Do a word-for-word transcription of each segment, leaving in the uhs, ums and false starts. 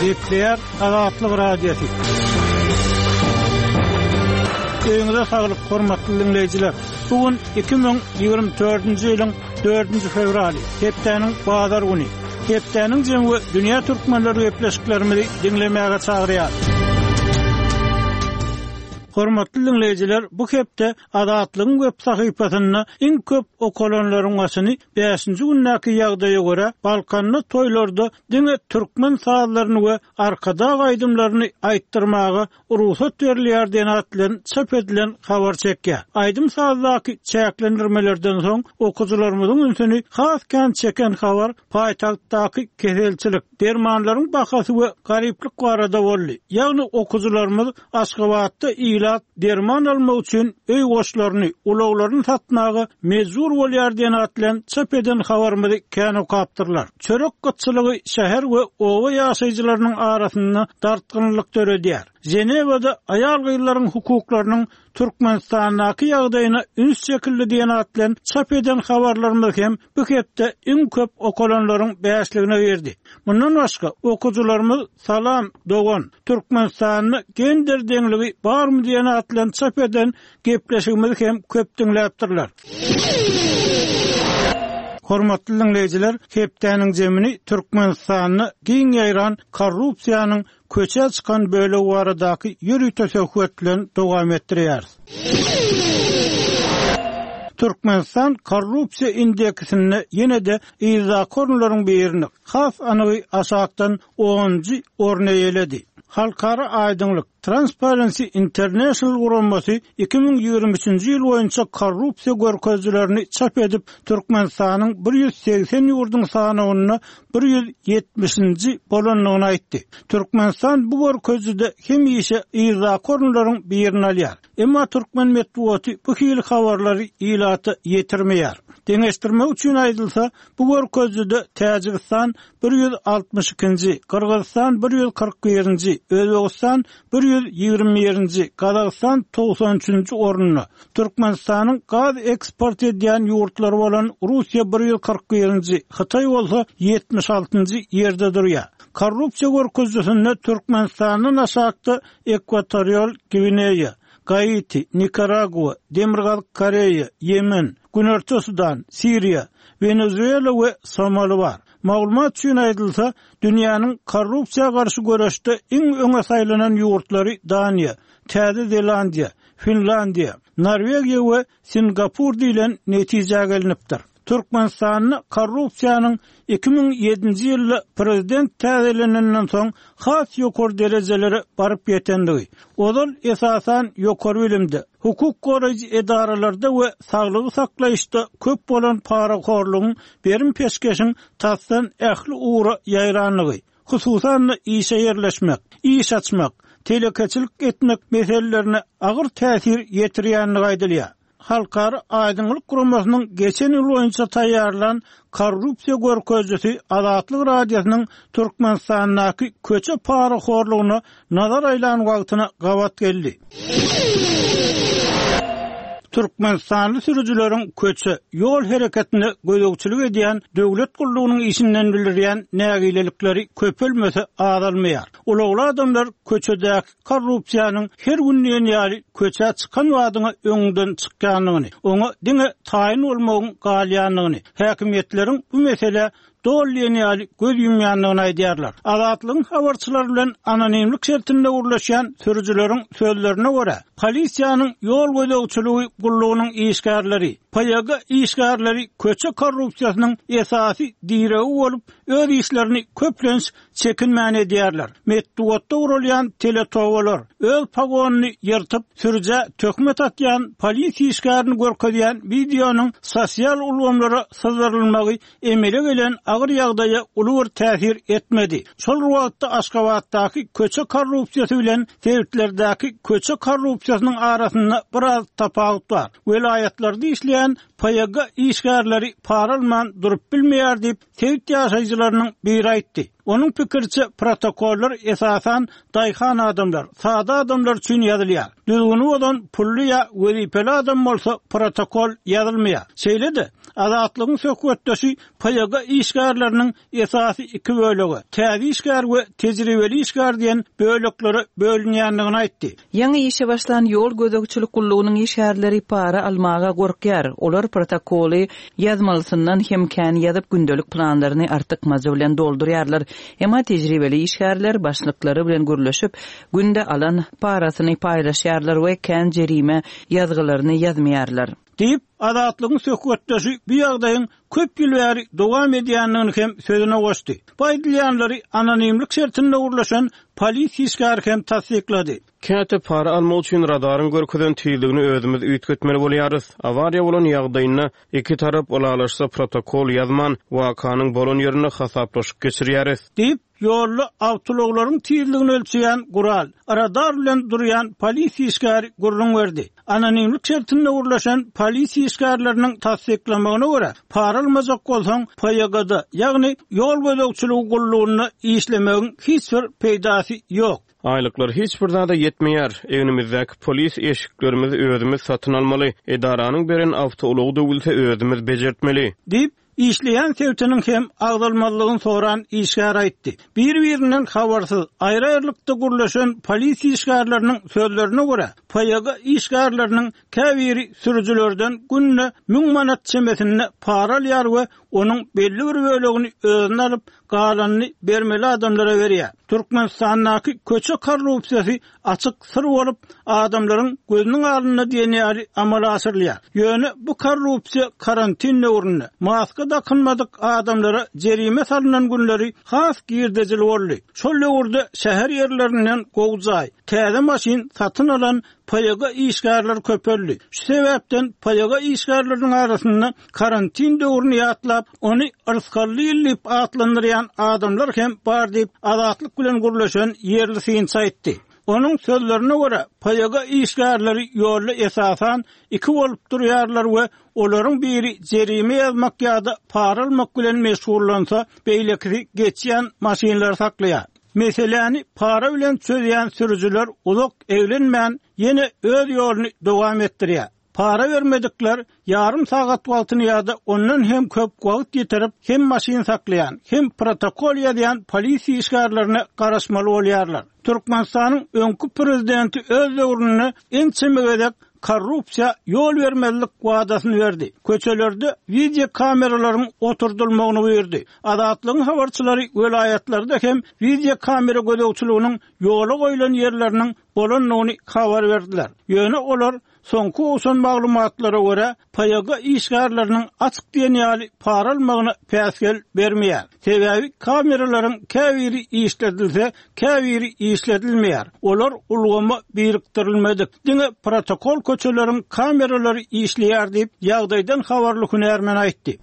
Gepleýär Azatlyk Radiosy. Öýüňize saglyk, hormatly diňleýjiler. Bu gün iki müň ýigrimi dördünji ýylyň dördünji fewraly, hepdäniň bazar güni. Hepdäniň jemi we dünýä türkmenleri gepleşiklerimizi diňlemäge çagyrýar. Hormatly diňleýjiler, bu hepde Azatlygyň web sahypasynda iň köp okalanlaryň başyny bäşinji gündäki ýagdaýa görä Balkanda toýlarda diňe türkmen sazlaryny we Arkadag aýdymlaryny aýtdyrmaga rugsat berilýär diýen at bilen çap edilen habar çekýär. Aýdym-sazdaky çäklendirmelerden soň okyjylarymyzyň ünsüni has kän çeken habar paýtagtdaky keselçilik, dermanlaryň bahasy we garyplyk barada boldy. Ýagny okyjylarymyz Aşgabatda ilat derman almak üçin öý goşlaryny, ulaglaryny satmaga mejbur bolýar diýen at bilen çap eden habarymyzy kän okapdyrlar. Çörek gytçylygy şäher we oba ýaşaýjylarynyň arasynda dartgynlyk döredýär. Ženewada aýal-gyzlaryň hukuklarynyň Türkmenistandaky ýagdaýyna üns çekildi diýen at bilen çap eden habarlarymyz hem bu hepde iň köp okalanlaryň bäşligine girdi. Mundan başga okyjylarymyz Salam dogan, Türkmenistanda gender deňligi barmy diýen at bilen çap eden gepleşigimizi hem köp diňläpdirler. Hormatly diňleýjiler, hepdäniň jemini Türkmenistanda giň ýaýran korrupsiýanyň köçe çykan bölegi baradaky ýörite söhbet bilen dowam etdirýäris. Türkmenistan korrupsiýa indeksinde ýene-de yzdaky orunlaryň birini, has anygy aşakdan onunjy orny eýeledi. Halkara aýdyňlyk Transparency International guramasy iki müň ýigrimi üçünji ýyl boýunça korrupsiýa görkezijilerini çap edip, Türkmenistanyň bir ýüz segsen ýurduň sanawynda bir ýüz ýetmişinji bolandygyny aýtdy. Türkmenistan bu görkezijide hemişe yzdaky orunlaryň birini alýar. Emma türkmen metbugaty bu hili habarlary ilata ýetirmeýär. Deňeşdirmek üçin aýdylsa, bu görkezijide Täjigistan bir ýüz altmyş ikinji, Gyrgyzystan bir ýüz kyrk birinji, Özbegistan bir ýüz ýigrimi birinji, Gazagystan togsan üçünji orunda. Türkmenistanyň gaz eksport edýän ýurtlary bolan Russiýa bir ýüz kyrk birinji, Hytaý bolsa ýetmiş altynjy ýerde durýar. Korrupsiýa görkezijisinde Türkmenistandan aşakda Ekwatorial Gwineýa, Gaiti, Nikaragua, Demirgazyk Koreýa, Ýemen, Günorta Sudan, Siriýa, Wenezuela we Somali bar. Maglumat üçin aýdylsa, dünýäniň korrupsiýa garşy göreşde iň öňe saýlanan ýurtlary Daniýa, Täze Zelandiýa, Finlandiýa, Norwegiýa we Singapur diýlen netijä gelinipdir. Türkmenistanda korrupsiýanyň iki müň ýedinji ýylda prezident täzelenenden soň has ýokary derejelere baryp ýetendigi, ozal esasan ýokary bilimde, hukuk goraýjy edaralarda we saglygy saklaýyşda köp bolan parahorlugyň berim peşgeşiň tasdan ähli ugra ýaýranlygy, hususan-da işe ýerleşmek, iş açmak, telekeçilik etmek meselelerine agyr täsir ýetirýändigi aýdylýar. Halkara Aýdyňlyk guramasynyň geçen ýyl boýunça taýýarlan korrupsiýa görkezijisi Azatlyk Radiosynyň Türkmenistandaky köçe parahorlugyna nazar aýlan wagtyna gabat geldi. Türkmenistanly sürüjileriň köçe ýol hereketine gözegçilik edýän döwlet gullugynyň işinden bildirýän nägilelikleri köpelmese azalmaýar. Ulagly adamlar köçedäki korrupsiýanyň her gün diýen ýaly köçä çykan wadyňa öňünden çykýandygyny, oňa diňe taýyn bolmagyň galýandygyny, häkimiýetleriň bu mesele doly diýen ýaly göz ýumýandygyny aýdýarlar. Azatlygyň habarçylary bilen anonimlik şertinde gürleşýän sürüjileriň sözlerine görä, polisiýanyň ýol gözegçiligi gullugynyň işgärleri, P Y G işgärleri köçe korrupsiýasynyň esasy diregi bolup, öz işlerini köplenç çekinmän edýärler. Metbugatda gurulýan teletowalar, öz pagonyny ýyrtyp, sürüjä töhmet atýan polisiýa işgärini görkezýän wideonyň sosial ulgamlara syzdyrylmagy emele gelen agyr ýagdaýa uly bir täsir etmedi. Şol wagtda Aşgabatdaky köçe korrupsiýasy bilen sebitlerdäki köçe korrupsiýasynyň arasynda biraz tapawut bar. Welaýatlarda işleýän P Y G işgärleri paralman durup bilmeýär diýip, sebit ýaşaýjylarynyň biri aýtdy. Onuň pikiriçe, protokollar esasan daýhan adamlar, sada adamlar üçin ýazylýar. Düzgüni bozan pully ýa wezipeli adam bolsa protokol ýazylmaýar. Şeýle-de, Azatlygyň söhbetdeşi P Y G işgärleriniň esasy iki bölege, täze işgär we tejribeli işgär diýen böleklere bölünýändigini aýtdy. Ýaňy işe başlan ýol gözegçilik gullugynyň işgärleri para almaga gorkýar. Olar protokoly ýazmalysyndan hem kän ýazyp, gündelik planlaryny artykmajy bilen doldurýarlar. Emma tejribeli işgärler başlyklary bilen gürleşip, günde alan parasyny paýlaşýarlar we kän jerime ýazgylaryny ýazmaýarlar. Diýip, Azatlygyň söhbetdeşi bu ýagdaýyň köp ýyl bäri dowam edýändigini hem sözüne goşdy. Bu aýdylýanlary anonimlik şertinde gürleşen polisiýa işgäri hem tassyklady. Käte para almak üçin radaryň görkezen tizligini özümiz üýtgetmeli bolýarys. Awariýa bolan ýagdaýynda iki tarap ylalaşsa protokol ýazman, wakanyň bolan ýerinde hasaplaşyk geçirýäris. Diýip, ýolda awtoulaglaryň tizligini ölçeýän gural, radar bilen durýan polisiýa işgäri gürrüň berdi. Anonimlik şertinde gürleşen polisiýa işgärleriniň tassyklamagyna görä, para almajak bolsaň P Y G-da, ýagny ýol gözegçiligi gullugynda işlemegiň hiç bir peýdasy ýok. Aýlyklar hiç bir zada ýetmeýär. Egnimizdäki polis eşiklerimizi özümiz satyn almaly. Edaranyň beren awtoulagy döwülse özümiz bejertmeli. Diýip, işleýän sebitiniň hem agzalmazlygyny soran işgär aýtdy. Bir-birinden habarsyz, aýry-aýrylykda gürleşen polisiýa işgärleriniň sözlerine görä, P Y G işgärleriniň käbiri sürüjilerden günde müň manat çemesinde para alýar we onuň belli bir bölegini özüne alyp, galanyny bermeli adamlara berýär. Türkmenistandaky köçe korrupsiýasy açyk syr bolup, adamlaryň gözüniň alnynda diýen ýaly amala aşyrylýar. Ýöne bu korrupsiýa karantin döwründe maska dakynmadyk adamlara jerime salynan günleri has girdejili boldy. Şol döwürde şäher ýerlerinden gowy jaý, täze maşyn satyn alan P Y G işgärler köpeldi. Şu sebäpden P Y G işgärleriniň arasynda karantin döwrüni ýatlap, ony yrskally ýyl diýip atlandyrýan adamlar hem bar diýip, Azatlyk bilen gürleşen ýerli synçy aýtdy. Onuň sözlerine görä, P Y G işgärleri ýolda esasan iki bolup durýarlar we olaryň biri jerime ýazmak ýa-da para almak bilen meşgullansa, beýlekisi geçýän maşynlary saklaýar. Meseläni para bilen çözýän sürüjiler uzak eglenmän ýene öz ýoluny dowam etdirýär. Para bermedikler ýarym sagat wagtyny ýa-da ondan hem köp wagt ýitirip, hem maşyn saklaýan, hem protokol ýazýan polisiýa işgärlerine garaşmaly bolýarlar. Türkmenistanyň öňki prezidenti öz döwründe ençeme gezek korrupsiýa ýol bermezlik wadasyny berdi. Köçelerde video kameralaryň oturdylmagyny buýurdy. Azatlygyň habarçylary welaýatlarda hem video kamera gözegçiliginiň ýola goýlan ýerleriniň bolandygyny habar berdiler. Ýöne olar soňky gowşan maglumatlara görä P Y G işgärleriniň açyk diýen ýaly para almagyna päsgel bermeýär. Sebäbi kameralaryň käbiri işledilse, käbiri işledilmeýär. Olar ulgama birikdirilmedik. Diňe protokol köçeleriň kameralary işleýär diýip, ýagdaýdan habarly hünärmen aýtdy.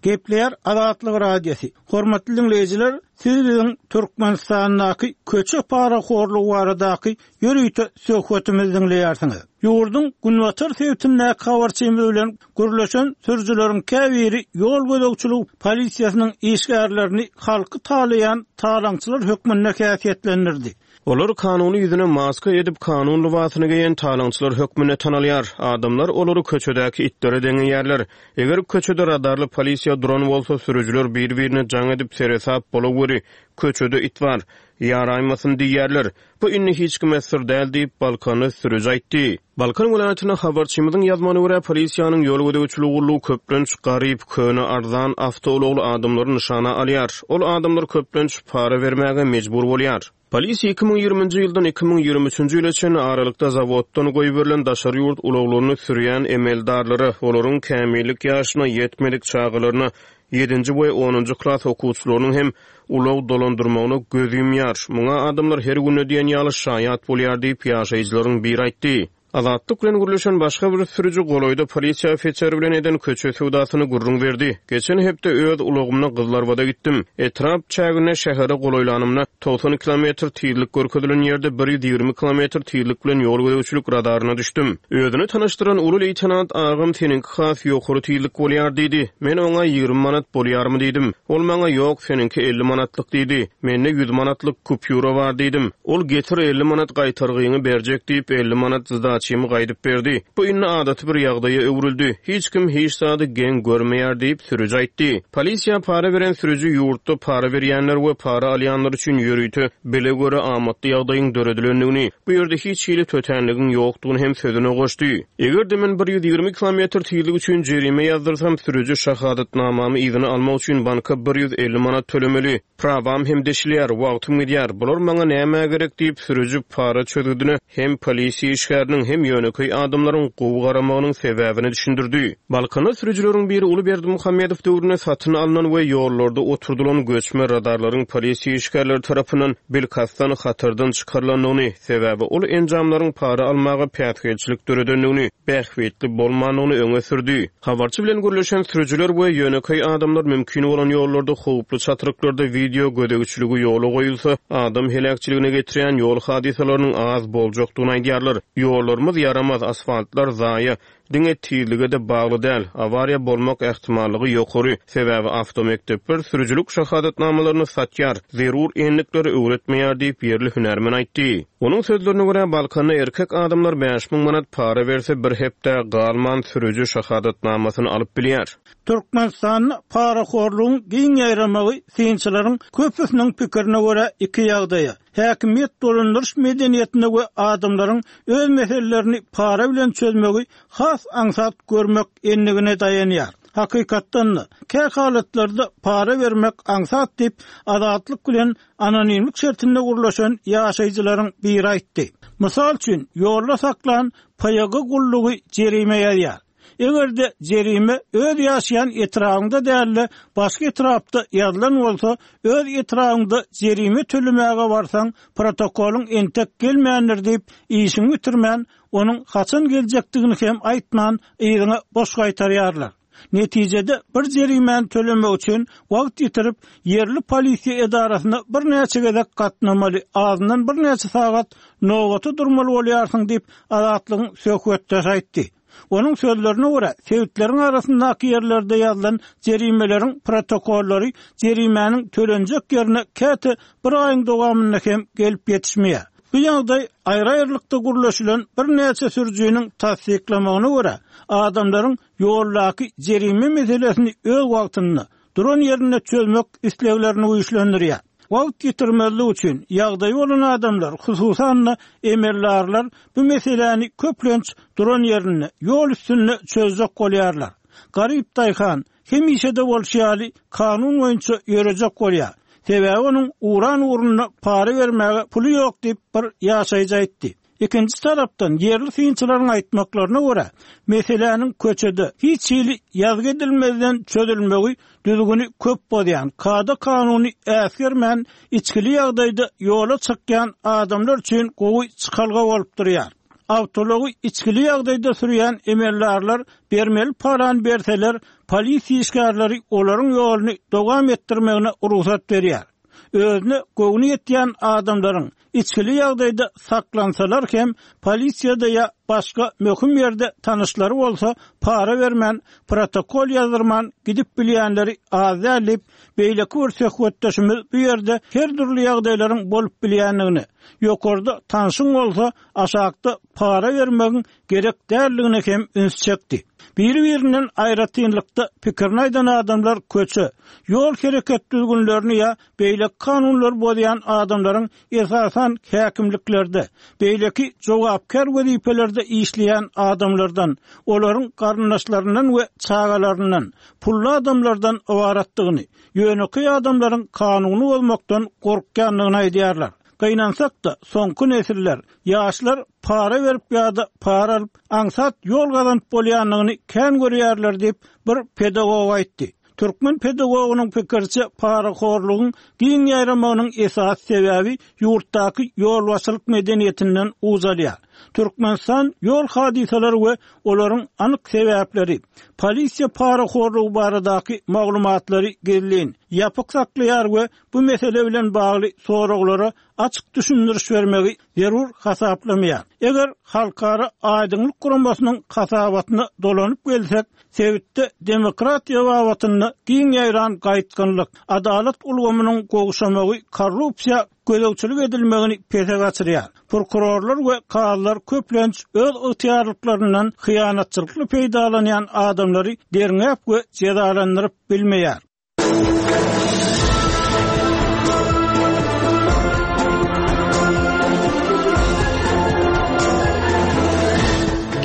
Gepleýär Azatlyk Radiosy. Hormatly dinleýjiler, siz biziň Türkmenistandaky köçe parahorlugy baradaky ýörite söhbetimizi dinleýärsiňiz. Ýurduň Günbatar sebitindäki habarçymyz bilen gürleşen sürüjileriň käbiri ýol gözegçilik polisiýasynyň işgärlerini halky talaýan talaňçylar hökmünde häsiýetlendirdi. Olar kanuny ýüzüne maska edip kanun lybasyny geýen talaňçylar hökmünde tanalýar. Adamlar olary köçedäki itlere deňeýärler. Eger köçede radarly polisiýa duran bolsa, sürüjiler bir-birine jaň edip seresap bolaweri, köçede it bar, ýaraýmasyn diýýärler. Bu indi hiç kime syr däl diýip, Balkanly sürüji aýtdy. Balkan welaýatynda habarçymyzyň ýazmagyna görä, polisiýanyň ýol gözegçiligi gullugy köplenç garyp, köne, arzan awtoulagly adamlary nyşana alýar. Ol adamlar köplenç para bermäge mejbur bolýar. Polisiýa iki müň ýigriminji ýyldan iki müň ýigrimi üçünji ýyla çenli aralykda zawoddan goýberilen daşary ýurt ulaglaryny sürýän emeldarlara, olaryň kämillik ýaşyna ýetmedik çagalaryna, ýedinji we onunjy klas okuwçylarynyň hem ulag dolandyrmagyna göz ýumýar. Muňa adamlar her günde diýen ýaly şaýat bolýar diýip, ýaşaýjylaryň biri aýtdy. Azatlyk bilen gürleşen başga bir sürüji golaýda polisiýa ofiseri bilen eden köçe söwdasyny gürrüň berdi. Geçen hepde öz ulagymda Gyzlarbada gitdim. Etrap çäginde şähere golaýlanymda togsan kilometr tizlik görkezilen ýerde bir ýüz ýigrimi kilometr tizlik bilen ýol gözegçilik radaryna düşdüm. Özüni tanyşdyran uly leýtenant agam seniňki has ýokary tizlik bolýar diýdi. Men oňa ýigrimi manat bolýarmy diýdim. Ol maňa ýok, seniňki elli manatlyk diýdi. Mende ýüz manatlyk kupýura bar diýdim. Ol getir elli manat gaýtargyňy berjek diýip elli manat zdaçymy gaýdyp berdi. Bu indi adaty bir ýagdaýa öwrüldi. Hiç kim hiç zady geň görmeýär diýip sürüji aýtdy. Polisiýa para beren sürüji ýurtda para berýänler we para alýanlar üçin ýörite bile göre amatly ýagdaýyň döredilendigini, bu ýerde hiç hili tötänligiň ýokdugyny hem sözüne goşdy. Eger-de men bir ýüz ýigrimi kilometr tizlik üçin jerime ýazdyrsam, sürüji şahadatnamamy yzyna almak üçin banka bir ýüz elli manat tölemeli. Prawam hem deşilýär, wagtym gidýär. Bular maňa nämä gerek diýip sürüji para çözgüdine hem polisiýa işgäriniň hem ýönekeý adamlaryň gowy garamagynyň sebäbini düşündirdi. Balkanda sürüjileriň biri Uly Berdimuhamedow döwründe satyn alnan we ýollarda oturdylan göçme radarlaryň polisiýa işgärleri tarapyndan bilkastdan hatardan çykarylandygyny, sebäbi ol enjamlaryň para almaga päsgelçilik döredendigini, bähbitli bolmandygyny öňe sürdi. Habarçy bilen gürleşen sürüjiler we ýönekeý adamlar mümkin bolan ýollarda howply çatryklarda video gözegçiligi ýola goýulsa, adam heläkçiligine getirýän ýol hadysalarynyň az boljakdygyny aýdýarlar. Ýollarymyz ýaramaz, asfaltlar zaýa, diňe tizlige de bagly däl, awariýa bolmak ähtimallygy ýokary. Sebäbi awtomektepler sürüjilik şahadatnamalaryny satýar, zerur enlikleri öwretmeýär diýip ýerli hünärmen aýtdy. Onuň sözlerine görä Balkanda erkek adamlar bäş müň manat para berse bir hepde galman sürüji şahadatnamasyny alyp bilýär. Türkmenistanda parahorlugyň giň ýaýramagy synçylaryň köpüsiniň pikirine görä iki ýagdaýa. Häkimiýet dolandyryş medeniýetine we adamlaryň öz meselelerini para bilen çözmegi has aňsat görmek endigine daýanýar. Hakykatdan da kä halatlarda para bermek aňsat diýip azatlyk bilen anonimlik şertinde gurlaşan ýaşaýjylaryň biri aýtdy. Mysal üçin, ýolda saklan P Y G gullugy jerime ýazýar. Eger de jerime öz ýaşaýan etrabynda däl-de başga etrapda ýazylan bolsa, öz etrabynda jerime tölemäge barsaň, protokolyň entek gelmändir diýip, işiňi bitirmän, onuň haçan geljekdigini hem aýtman, yzyňa boş gaýtarýarlar. Netijede bir jerimäni tölemek üçin wagt ýitirip, ýerli polisiýa edarasyna birnäçe gezek gatnamaly, azyndan birnäçe sagat nobata durmaly bolýarsyň diýip, Azatlygyň söhbetdeşi aýtdy. Onuň sözlerine görä, sebitleriň arasyndaky ýerlerde ýazylan jerimeleriň protokollary jerimäniň tölenjek ýerine käte bir aýyň dowamynda hem gelip ýetişmeýär. Bu ýagdaý aýry-aýrylykda gurlaşylan birnäçe sürüjiniň tassyklamagyna görä, adamlaryň ýoldaky jerime meselesini öz wagtynda duran ýerinde çözmek isleglerini güýçlendirýär. Wagt ýitirmezlik üçin ýagdaýy bolan adamlar, hususan-da emeldarlar bu meseläni köplenç duran ýerinde, ýol üstünde çözjek bolýarlar. Garyp daýhan hemişe de bolşy ýaly kanun boýunça ýörejek bolýar. Sebäbi onuň uran ugrunda para bermäge puly ýok diýip bir ýaşaýjy aýtdy. Ikinji tarapdan ýerli synçylaryň aýtmaklaryna görä, meseläniň köçede hiç hili ýazgy edilmezden çözülmegi düzgüni köp bozýan, kada kanuny äsgermän içkili ýagdaýda ýola çykýan adamlar üçin gowy çykalga bolup durýar. Awtology içkili ýagdaýda sürýän emeldarlar bermeli paran berseler, polisiýa işgärleri olaryň ýoluny dowam etdirmegine rugsat berýär. Özüne göwni ýetýän adamlaryň içkili ýagdaýda saklansalar hem polisiýada ýa başga möhüm ýerde tanyşlary bolsa para bermän, protokol ýazdyrman gidip bilýänleri az däl diýip, beýleki bir söhbetdeşimiz bu ýerde her dürli ýagdaýlaryň bolup bilýändigini, ýokarda tanşyň bolsa aşakda para bermegiň gerek däldigine hem üns çekdi. Biri-birinden aýratynlykda pikirini aýdan adamlar köçe, ýol hereket düzgünlerini ýa beýleki kanunlary bozýan adamlaryň esasan häkimliklerde, beýleki jogapkär wezipelerde işleýän adamlardan, olaryň garyndaşlaryndan we çagalaryndan, pully adamlardan ybaratdygyny, ýönekeý adamlaryň kanuny bolmakdan gorkýandygyny aýdýarlar. Gynansak-da, soňky nesiller, ýaşlar para berip ýa-da para alyp, aňsat ýol gazanyp bolýandygyny kän görýärler diýip bir pedagog aýtdy. Türkmen pedagogynyň pikiriçe parahorlugyň giň ýaýramagynyň esasy sebäbi ýurtdaky ýolbaşçylyk medeniýetinden uzalýar. Türkmenistan ýol hadysalary we olaryň anyk sebäpleri, polisiýa parahorlugy baradaky maglumatlary gizlin, ýapyk saklaýar we bu mesele bilen bagly soraglara açyk düşündiriş bermegi zerur hasaplamaýar. Eger Halkara Aýdyňlyk guramasynyň hasabatyna dolanyp gelsek, sebitde demokratiýa babatynda giň ýaýran gaýtgynlyk, adalat ulgamynyň gowşamagy korrupsiýa gözegçilik edilmegini pese gaçyrýar. Prokurorlar we kazylar köplenç öz ygtyýarlyklaryndan hyýanatçylykly peýdalanýan adamlary derňäp we jezalandyryp bilmeýär.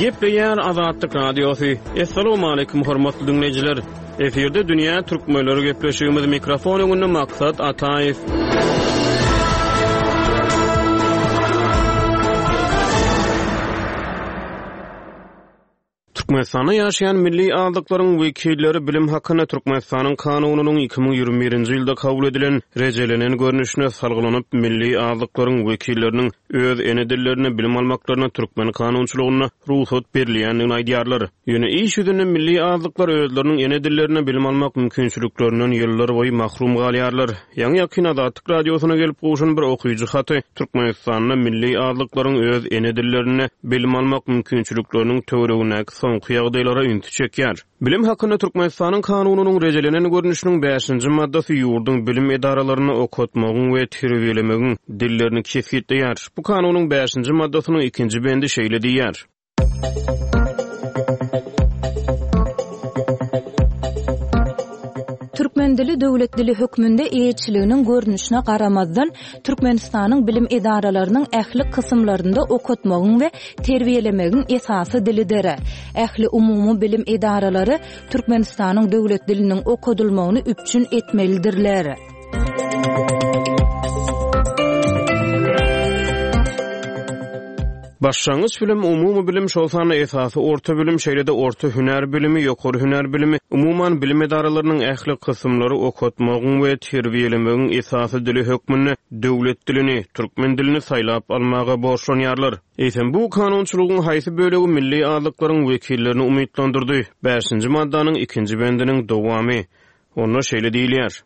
Gepleýär Azatlyk Radiosy. Assalamualaikum hormatly dinleýjiler. Efirde Dünýä Türkmenleri gepleşigimiz mikrofon öňünde Maksat Ataýew. Türkmenistanda ýaşaýan milli azlyklaryň wekilleri bilim hakynda Türkmenistanyň kanunynyň iki müň ýigrimi birinji ýylda kabul edilen rejelenen görnüşine salgylanyp, milli azlyklaryň wekilleriniň öz ene dillerinde bilim almaklaryna türkmen kanunçylygynda rugsat berilýändigini aýdýarlar. Ýöne iş ýüzünde milli azlyklar özleriniň ene dillerinde bilim almak mümkinçiliklerinden ýyllar boýy mahrum galýarlar. Ýaňy ýakyn Azatlyk radiosyna gelip gowşan bir okyjy haty Türkmenistanda milli azlyklaryň öz ene dillerinde bilim almak mümkinçilikleriniň töweregindäki soňky ýagdaýlara ünsi çekýär. Bilim hakynda Türkmenistanyň kanunynyň rejelenen görnüşiniň bäşinji maddasy ýurduň bilim edaralaryny okatmagyň we terbiýelemegiň dillerini kesgitleýär. Bu kanunyň bäşinji maddasynyň ikinji bendi şeýle diýýär. Türkmen dili döwlet dili hökmünde eýeçiliginiň görnüşine garamazdan Türkmenistanyň bilim edaralarynyň ähli kysymlarynda okatmagyň we terbiýelemegiň esasy dilidir. Ähli umumy bilim edaralary Türkmenistanyň döwlet diliniň okadylmagyny üpjün etmelidirler. Başlangyç bilim, umumy bilim, şol sanda esasy orta bilim, şeýle-de orta hünär bilimi, ýokary hünär bilimi, umuman bilim edaralarynyň ähli kysymlary okatmagyň we terbiýelemegiň esasy dili hökmünde döwlet dilini, türkmen dilini saýlap almaga borçlanýarlar. Eýsem bu kanunçylygyň haýsy bölegi milli azlyklaryň wekillerini umytlandyrdy? Bäşinji maddanyň ikinji bendiniň dowamy. Onda şeýle diýilýär.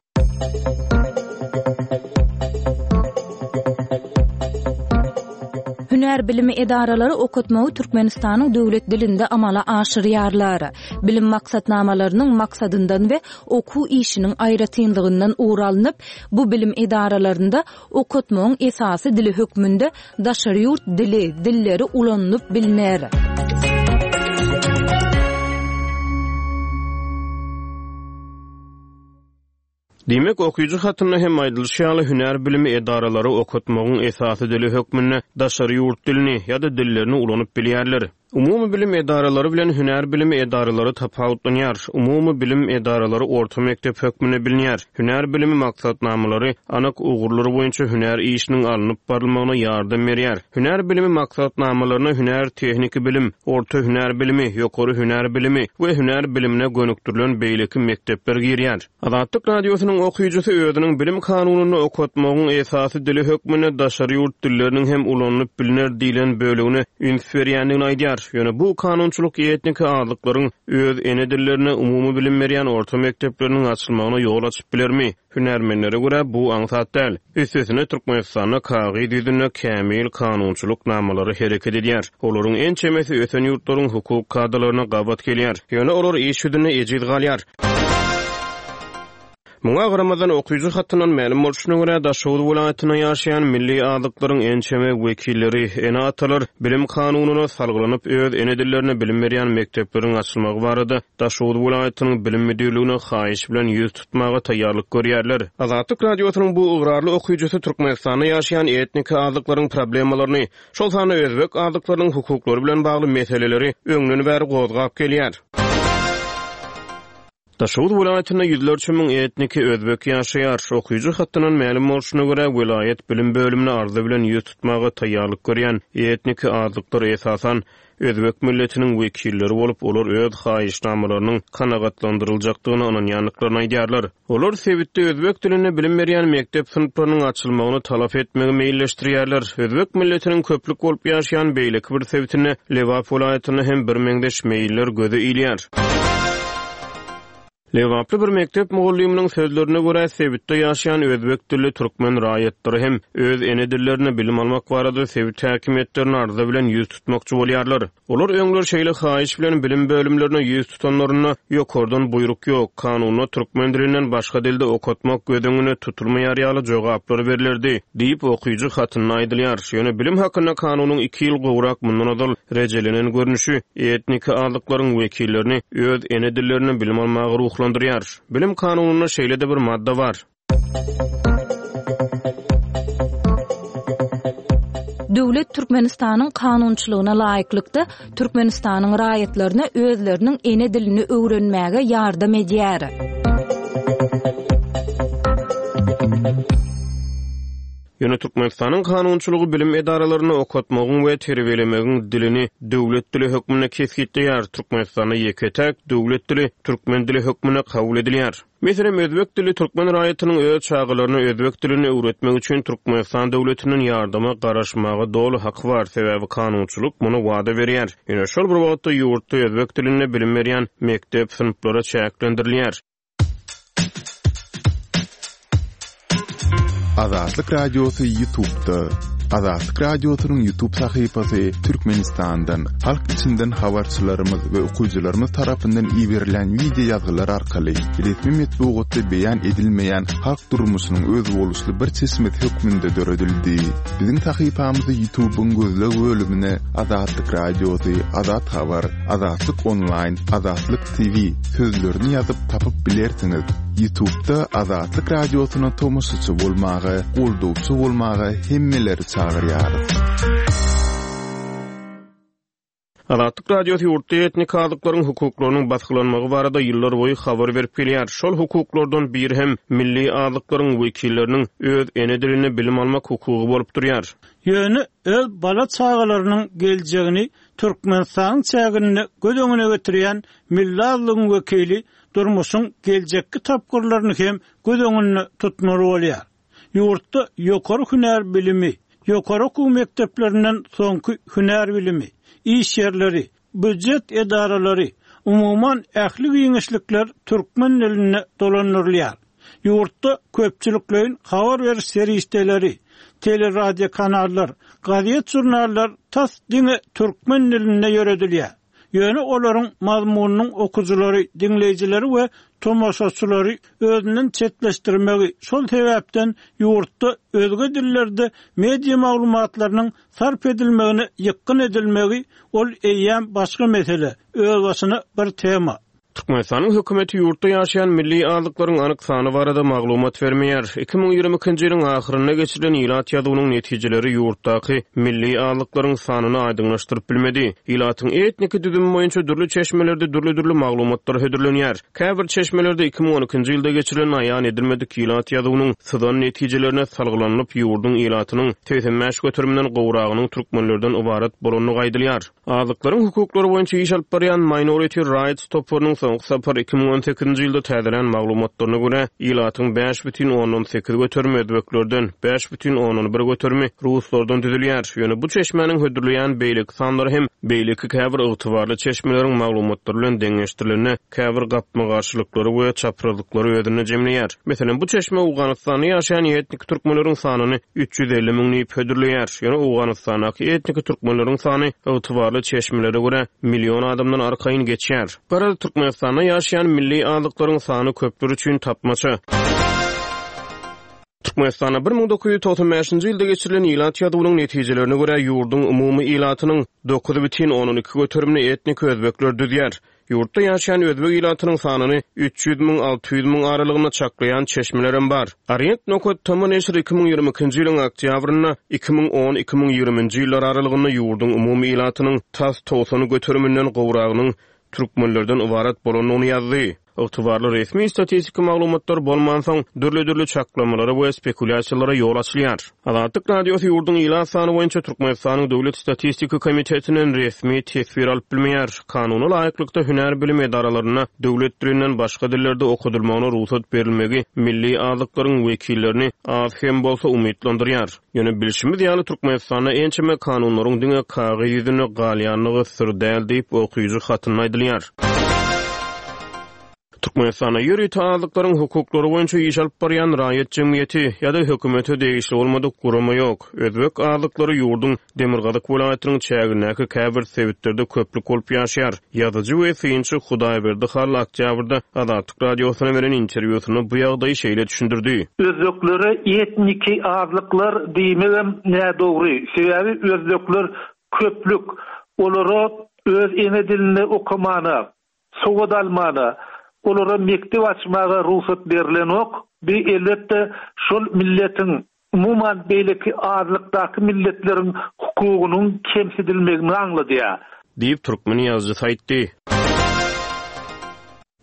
Hünär bilimi edaralary okatmagy Türkmenistanyň döwlet dilinde amala aşyrýarlar. Bilim maksatnamalarynyň maksadyndan we okuw işiniň aýratynlygyndan ugur alnyp, bu bilim edaralarynda okatmagyň esasy dili hökmünde daşary ýurt dili, dilleri ulanylyp bilner. Diýmek, okyjy hatynda hem aýdylyşy ýaly hünär bilimi edaralary okatmagyň esasy dili hökmünde daşary ýurt dilini ýa-da dillerini ulanyp bilýärler. Umumy bilim edaralary bilen hünär bilimi edaralary tapawutlanýar. Umumy bilim edaralary orta mekdep hökmünde bilinýär. Hünär bilimi maksatnamalary anyk ugurlar boýunça hünär işiniň alnyp barylmagyna ýardam berýär. Hünär bilimi maksatnamalaryna hünär tehniki bilim, orta hünär bilimi, ýokary hünär bilimi we hünär bilimine gönükdirilen beýleki mekdepler girýär. Azatlyk radiosynyň okyjysy özüniň bilim kanunynda okatmagyň esasy dili hökmünde daşary ýurt dilleriniň hem ulanylyp bilner diýlen bölegine üns berýändigini aýdýar. Ýöne bu kanunçylyk etniki azlyklaryň öz ene dillerine umumy bilim berýän orta mekdepleriniň açylmagyna ýol açyp bilermi? Hünärmenlere görä bu aňsat däl. Üstesine Türkmenistanda kagyz ýüzünde kämil kanunçylyk namalary hereket edýär. Olaryň ençemesi ösen ýurtlaryň hukuk kadalaryna gabat gelýär. Ýöne olar iş ýüzünde ejiz galýar. Muňa garamazdan okyjy hatyndan mälim bolşuna görä Daşoguz welaýatynda ýaşaýan milli azlyklaryň ençeme wekilleri, ene-atalar bilim kanunyna salgylanyp öz ene dillerine bilim berýän mekdepleriň açylmagy barada Daşoguz welaýatynyň bilim müdirligine haýyş bilen ýüz tutmaga taýýarlyk görýärler. Azatlyk radiosynyň bu ygrarly okyjysy Türkmenistanda ýaşaýan etnik azlyklaryň problemalaryny, şol sanda özbek azlyklarynyň hukuklary bilen bagly meseleleri öňden bäri gozgap gelýär. Daşoguz welaýatynda ýüzlerçe müň etniki özbek ýaşaýar. Okyjy hatyndan mälim bolşuna görä, welaýat bilim bölümine arza bilen ýüz tutmaga taýýarlyk görýän etniki azlyklar esasan özbek milletiniň wekilleri bolup, olar öz haýyşnamalarynyň kanagatlandyryljakdygyna ynanýandyklaryny aýdýarlar. Olar sebitde özbek dilinde bilim berýän mekdep synplarynyň açylmagyny talap etmegi meýilleşdirýärler. Özbek milletiniň köplük bolup ýaşaýan beýleki bir sebitinde Lebap welaýatynda hem birmeňzeş meýiller göze ilýär. Lebaply bir mekdep mugallymynyň sözlerine görä, sebitde ýaşaýan özbek dilli türkmen raýatlary hem öz ene dillerinde bilim almak barada sebit häkimiýetlerine arza bilen ýüz tutmakçy bolýarlar. Olar öňler şeýle haýyş bilen bilim bölümlerine ýüz tutanlarynda ýokardan buýruk ýok, kanunda türkmen dilinden başga dilde okatmak göz öňüne tutulmaýar ýaly jogaplar berilerdi diýip okyjy hatynda aýdylýar. Ýöne bilim hakynda kanunyň iki ýyl gowrak mundan ozal rejelenen görnüşi etniki azlyklaryň wekillerini öz ene dillerinde bilim almaga ruhlandyrýar. Bilim kanunynda şeýle de bir madda bar. Döwlet Türkmenistanyň kanunçylygyna laýyklykda Türkmenistanyň raýatlaryna özleriniň ene dilini öwrenmäge ýardam edýär. Ýöne Türkmenistanyň kanunçylygy bilim edaralaryny okatmagyň we terbiýelemegiň dilini döwlet dili hökmünde kesgitleýär. Türkmenistanda ýeke-täk döwlet dili türkmen dili hökmünde kabul edilýär. Meselem, özbek dili türkmen raýatynyň öz çagalaryna özbek dilini öwretmek üçin Türkmenistan döwletinden ýardama garaşmaga doly haky bar, sebäbi kanunçylyk muny wada berýär. Ýöne şol bir wagtda ýurtda özbek dilinde bilim berýän mekdep synplary çäklendirilýär. Azatlyk Radiosy YouTube'da. Azatlyk Radiosynyň YouTube sahypasy Türkmenistandan, halk içinden habarçylarymyz we okyjylarymyz tarapyndan iberilen video ýazgylar arkaly resmi metbugatda beýan edilmeýän halk durmuşynyň özboluşly bir çeşmesi hökmünde döredildi. Biziň sahypamyzy YouTube'yň gözleg bölümine Azatlyk Radiosy, Azat Habar, Azatlyk Online, Azatlyk T V sözlerini ýazyp tapyp bilersiňiz. YouTube'da Azatlyk Radiosyna tomaşaçy bolmaga, goldawçy bolmaga hemmeleri çagyrýarys. Azatlyk Radiosy ýurtda etnik azlyklaryň hukuklarynyň basgylanmagy barada ýyllar boýy habar berip gelýär. Şol hukuklardan biri hem milli azlyklaryň wekilleriniň öz ene dilinde bilim almak hukugy bolup durýar. Ýöne öz bala çagalarynyň geljegini Türkmenistanyň çäginde göz öňüne getirýän milli azlygyň wekili durmuşyň geljekki tapgyrlaryny hem göz öňünde tutmaly bolýar. Ýurtda ýokary hünär bilimi, ýokary okuw mekdeplerinden soňky hünär bilimi, iş ýerleri, býujet edaralary, umuman ähli giňişlikler türkmen dilinde dolandyrylýar. Ýurtda köpçülikleýin habar beriş serişdeleri, teleradyo kanallar, gazet jurnallar tas diňe türkmen dilinde ýöredilýär. Ýöne olaryň mazmunynyň okujylary, diňleýjileri we tomaşaçylary özünden çetleşdirmegi, şol sebäpden ýurtda özge dillerde media maglumatlarynyň sarp edilmegine ýykgyn edilmegi ol eýýäm başga mesele, özbaşyna bir tema. Türkmenistanyň hökümeti ýurtda ýaşaýan milli azlyklaryň anyk sany barada maglumat bermeýär. iki müň ýigrimi ikinji ýylyň ahyrynda geçirilen ilat ýazuwynyň netijeleri ýurtdaky milli azlyklaryň sanyny aýdyňlaşdyryp bilmedi. Ilatyň etniki düzümi boýunça dürli çeşmelerde dürli-dürli maglumatlar hödürlenýär. Käbir çeşmelerde iki müň on ikinji ýylda geçirilen aýan edilmedik ilat ýazuwynyň syzan netijelerine salgylanyp, ýurduň ilatynyň segsen bäş göteriminden gowragynyň türkmenlerden ybarat bolandygy aýdylýar. Azlyklaryň hukuklary boýunça iş alyp barýan Minority Rights toparynyň soňky sapar iki müň on sekizinji ýylda täzelän maglumatlaryna görä, ilatyň bäş bütin ondan sekiz göterimi özbeklerden, bäş bütin ondan bir göterimi ruslardan düzülýär. Ýöne bu çeşmäniň hödürleýän beýleki sanlary hem beýleki käbir ygtybarly çeşmeleriň maglumatlary bilen deňeşdirilende käbir gapma-garşylyklary we çaprazlyklary özünde jemleýär. Meselem, bu çeşme Owganystanda ýaşaýan etnik türkmenleriň sanyny üç ýüz elli müň diýip hödürleýär. Ýöne Owganystandaky etnik türkmenleriň sany ygtybarly çeşmelere görä million adamdan arkaýyn geçýär. Garaz, Türkmenistanda ýaşaýan milli azlyklaryň sany köpler üçin tapmaça. Türkmenistanda bir müň dokuz ýüz togsan bäşinji ýylda geçirilen ilat ýazuwynyň netijelerine görä ýurduň umumy ilatynyň dokuz bütin ondan iki göterimini etnik özbekler düzýär. Ýurtda ýaşaýan özbek ilatynyň sanyny üç ýüz müň alty ýüz müň aralygynda çaklaýan çeşmelerem bar. Orient nokat tm neşiri iki müň ýigrimi ikinji ýylyň oktýabrynda iki müň on iki müň ýigriminji ýyllar aralygynda ýurduň umumy ilatynyň tas togsan göteriminden gowragynyň türkmenlerden ybarat bolandygyny ýazdy. Ygtybarly resmi statistiki maglumatlar bolmansoň, dürli-dürli çaklamalara we spekulýasiýalara ýol açylýar. Azatlyk Radiosy ýurduň ilat sany boýunça Türkmenistanyň Döwlet statistika komitetinden resmi teswir alyp bilmeýär. Kanuna laýyklykda hünär bilim edaralarynda döwlet dilinden başga dillerde okadylmagyna rugsat berilmegi milli azlyklaryň wekillerini az hem bolsa umytlandyrýar. Ýöne bilşimiz ýaly, Türkmenistanda ençeme kanunlaryň diňe kagyz ýüzünde galýandygy syr däl diýip, okyjy hatynda aýdylýar. Türkmenistanda ýörite azlyklaryň hukuklary boýunça iş alyp barýan raýat jemgyýeti ýa-da hökümete degişli bolmadyk gurama ýok. Özbek azlyklary ýurduň demirgazyk welaýatynyň çägindäki käbir sebitlerde köplük bolup ýaşaýar. Ýazyjy we synçy Hudaýberdi Hally oktýabrda Azatlyk Radiosyna beren interwýusynda bu ýagdaýy şeýle düşündirdi. Özbeklere etniki azlyklar diýmegem nädogry. Sebäbi özbekler köplük. Olara öz ene dilinde okamana, sowat almana, olara mekdep açmaga rugsat berilenok. Bi elbetde şol milletiň, umuman beýleki azlykdaky milletleriň hukugynyň kemsidilmegini aňladýar. Diýip, türkmen ýazyjysy aýtdy.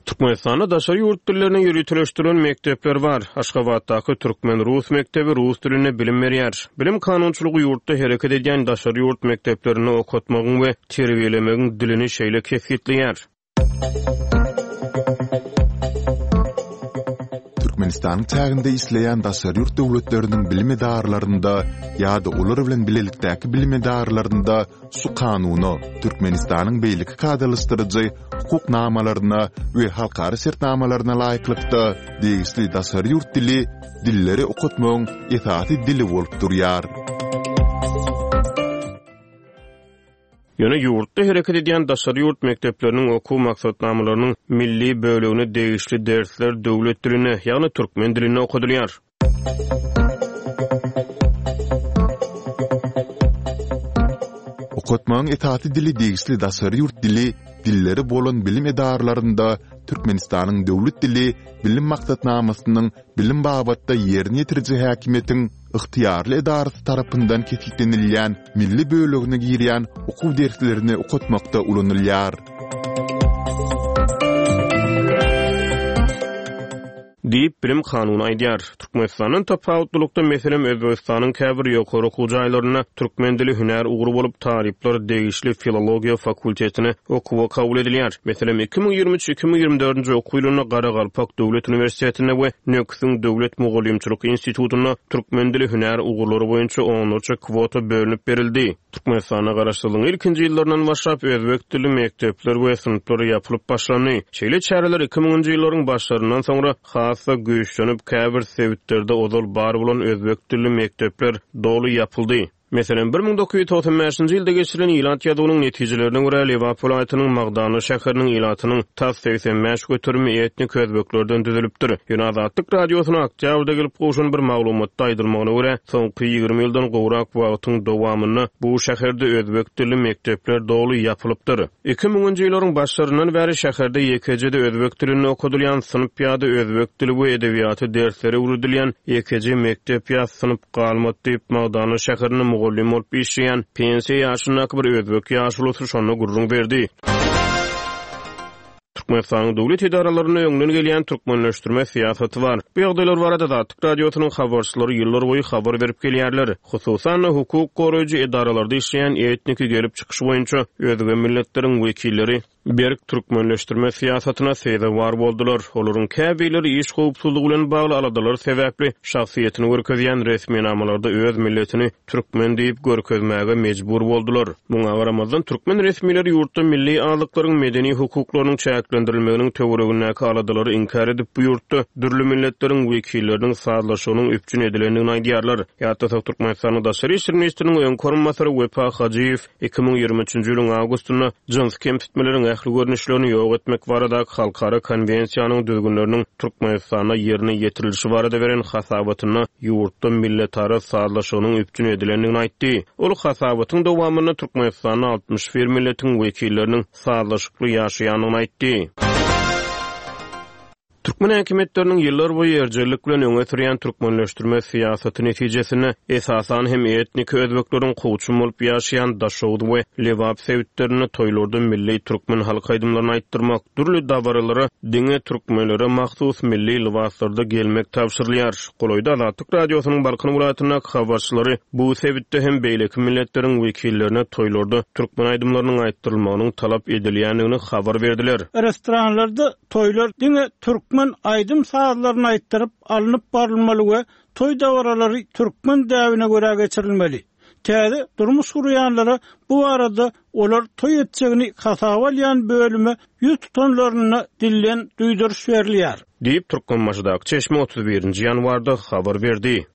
Türkmenistanda daşary ýurt dillerine ýöriteleşdirilen mekdepler bar. Aşgabatdaky türkmen-rus mekdebi rus dilinde bilim berýär. Bilim kanunçylygy ýurtda hereket edýän daşary ýurt mekdeplerinde okatmagyň we terbiýelemegiň dilini şeýle kesgitleýär. Türkmenistanyň çäginde işleýän daşary ýurt döwletleriniň bilim edaralarynda ýa-da olar bilen bilelikdäki bilim edaralarynda şu Kanuna, Türkmenistanyň beýleki kadalaşdyryjy hukuk namalaryna we halkara şertnamalaryna laýyklykda degişli daşary ýurt dili dilleri okatmagyň esasy dili bolup durýar. Ýöne ýurtda hereket edýän daşary ýurt mekdepleriniň okuw maksatnamalarynyň milli bölegine degişli dersler döwlet dilinde, ýagny türkmen dilinde okadylýar. Okatmagyň esasy dili degişli daşary ýurt dili dilleri bolan bilim edaralarynda Türkmenistanyň döwlet dili bilim maksatnamasynyň bilim babatda ýerine ýetiriji häkimiýetiň ygtyýarly edarasy tarapyndan kesgitlenilýän milli bölegine girýän okuw derslerini okatmakda ulanylýar. Diýip, bilim kanuny aýdýar. Türkmenistandan tapawutlylykda, meselem, Özbegistanyň käbir ýokary okuw jaýlarynda türkmen dili hünär ugry bolup, talyplar degişli filologiýa fakultetine okuwa kabul edilýär. Meselem, iki müň ýigrimi üç, iki müň ýigrimi dördünji okuw ýylynda Garagalpak döwlet uniwersitetinde we Nöküsiň döwlet mugallymçylyk institutynda türkmen dili hünär ugurlary boýunça onlarça kwota bölünip berildi. Türkmenistanda Garaşsyzlygyň ilkinji ýyllaryndan başlap özbek dilli mekdepler we synplar ýapylyp başlandy. Şeýle çäreler iki müňünji ýyllaryň başlaryndan soňra has-da güýçlenip, käbir sebitlerde ozal bar bolan özbek dilli mekdepler doly ýapyldy. Meselem, bir müň dokuz ýüz togsan bäşinji ýylda geçirilen ilat ýazuwynyň netijelerine görä, Lebap welaýatynyň Magdanly şäheriniň ilatynyň tas segsen bäş göterimi etnik özbeklerden düzülipdir. Ýöne Azatlyk Radiosyna oktýabrda gelip gowşan bir maglumatda aýdylmagyna görä, soňky ýigrimi ýyldan gowrak wagtyň dowamynda bu şäherde özbek dilli mekdepler doly ýapylypdyr. Iki müňünji ýyllaryň başlaryndan bäri şäherde ýekeje-de özbek dilinde okadylýan synp ýa-da özbek dili we edebiýaty dersleri öwredilýän ýekeje mekdep ýa synp galmady diýip, Magdanly şäherinde mugallym bolup işleýän pensiýa ýaşyndaky bir özbek ýaşulusy şonda gürrüň berdi. Türkmenistanyň döwlet edaralarynda öňden gelýän türkmenleşdirme syýasaty bar. Bu ýagdaýlar barada Azatlyk Radiosynyň habarçylary ýyllarboýy habar berip gelýärler. Hususan-da, hukuk goraýjy edaralarda işleýän etniki gelip çykyşy boýunça özge milletleriň wekilleri berk türkmenleşdirme syýasatyna sezewar boldular. Olaryň käbirleri iş howpsuzlygy bilen bagly aladalar sebäpli şahsyýetini görkezýän resminamalarda öz milletini türkmen diýip görkezmäge mejbur boldular. Muňa garamazdan, türkmen resmileri ýurtda milli azlyklaryň medeni hukuklarynyň çäklendirilmeginiň töweregindäki aladalary inkär edip, bu ýurtda dürli milletleriň wekilleriniň sazlaşygynyň üpjün edilendigini aýdýarlar. Ýatlasak, Türkmenistanyň Daşary işler ministriniň öňki orunbasary Wepa Hajyýew iki müň ýigrimi üçünji ýylyň awgustynda jynsy kemsitmeleriň ähli görnüşlerini ýok etmek baradaky halkara konwensiýanyň düzgünleriniň Türkmenistanda ýerine ýetirilişi barada beren hasabatynda ýurtda milletara sazlaşygynyň üpjün edilendigini aýtdy. Ol hasabatyň dowamynda Türkmenistanda altmyş bir milletiň wekilleriniň sazlaşykly ýaşaýandygyny aýtdy. Türkmen häkimiýetleriniň ýyllarboýy erjellik bilen öňe sürýän türkmenleşdirme syýasaty netijesinde, esasan hem etniki özbekleriň kowçum bolup ýaşaýan Daşoguz we Lebap sebitlerinde toýlarda milli türkmen halk aýdymlaryny aýtdyrmak, dürli dabaralara diňe türkmenlere mahsus milli lybaslarda gelmek tabşyrylýar. Golaýda Azatlyk Radiosynyň Balkan welaýatyndaky habarçylary bu sebitde hem beýleki milletleriň wekillerine toýlarda türkmen aýdymlarynyň aýtdyrylmagynyň talap edilýändigini habar berdiler. Restoranlarda toýlar diňe türkmen aýdym-sazlaryny aýtdyryp alnyp barylmaly we toý dabaralary türkmen däbine görä geçirilmeli. Täze durmuş gurýanlara bu barada olar toý etjegini hasaba alýan bölüme ýüz tutanlarynda dilden duýduryş berilýär. Diýip, Türkmenbaşydaky çeşme otuz birinji ýanwarda habar berdi.